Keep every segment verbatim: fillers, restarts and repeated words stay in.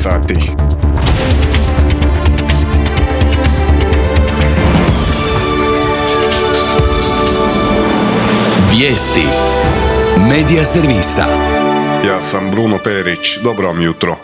sati. Vijesti Medija servisa. Ja sam Bruno Perić, dobro vam jutro.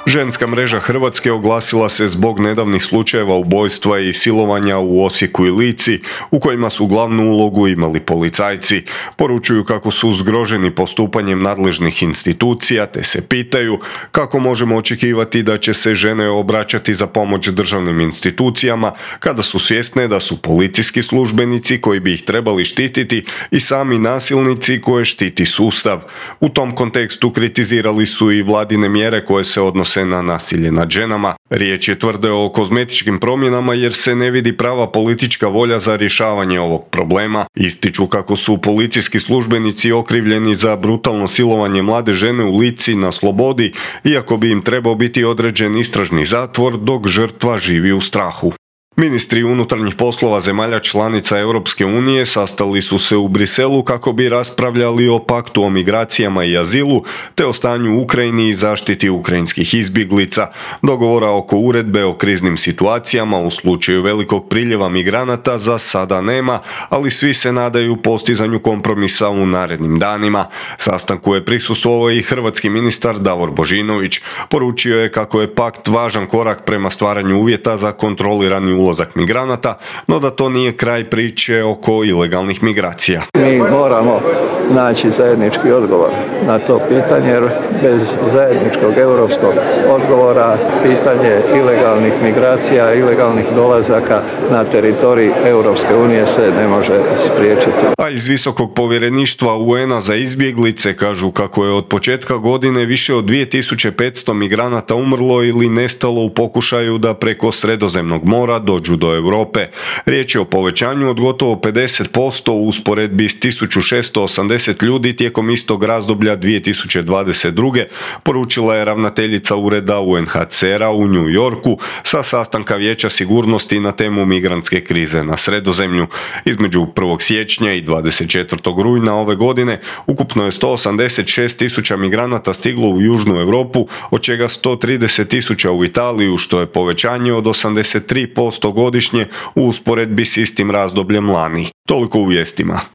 Ženska mreža Hrvatske oglasila se zbog nedavnih slučajeva ubojstva i silovanja u Osijeku i Lici, u kojima su glavnu ulogu imali policajci. Poručuju kako su zgroženi postupanjem nadležnih institucija, te se pitaju kako možemo očekivati da će se žene obraćati za pomoć državnim institucijama kada su svjesne da su policijski službenici koji bi ih trebali štititi i sami nasilnici koje štiti sustav. U tom kontekstu kritizirali su i vladine mjere koje se odnose na nasilje nad ženama. Riječ je tvrde o kozmetičkim promjenama jer se ne vidi prava politička volja za rješavanje ovog problema. Ističu kako su policijski službenici okrivljeni za brutalno silovanje mlade žene u Lici na slobodi, iako bi im trebao biti određen istražni zatvor dok žrtva živi u strahu. Ministri unutarnjih poslova zemalja članica Europske unije sastali su se u Briselu kako bi raspravljali o paktu o migracijama i azilu, te o stanju u Ukrajini i zaštiti ukrajinskih izbjeglica. Dogovora oko uredbe o kriznim situacijama u slučaju velikog priljeva migranata za sada nema, ali svi se nadaju postizanju kompromisa u narednim danima. Sastanku je prisustvovao i hrvatski ministar Davor Božinović. Poručio je kako je pakt važan korak prema stvaranju uvjeta za kontrolirani ulazak migranata, no da to nije kraj priče oko ilegalnih migracija. Mi moramo naći zajednički odgovor na to pitanje, jer bez zajedničkog europskog odgovora pitanje ilegalnih migracija, ilegalnih dolazaka na teritorij Europske unije se ne može spriječiti. A iz Visokog povjereništva U N-a za izbjeglice kažu kako je od početka godine više od dvije tisuće petsto migranata umrlo ili nestalo u pokušaju da preko Sredozemnog mora dođu do Europe. Riječ je o povećanju od gotovo pedeset posto u usporedbi s tisuću šesto osamdeset ljudi tijekom istog razdoblja dvije tisuće dvadeset druge. poručila je ravnateljica ureda U N H C R-a u New Yorku sa sastanka Vijeća sigurnosti na temu migrantske krize na Sredozemlju. Između prvog siječnja i dvadeset četvrtog rujna ove godine ukupno je sto osamdeset šest tisuća migranata stiglo u Južnu Europu, od čega sto trideset tisuća u Italiju, što je povećanje od osamdeset tri posto godišnje u usporedbi s istim razdobljem lani. Toliko u vijestima.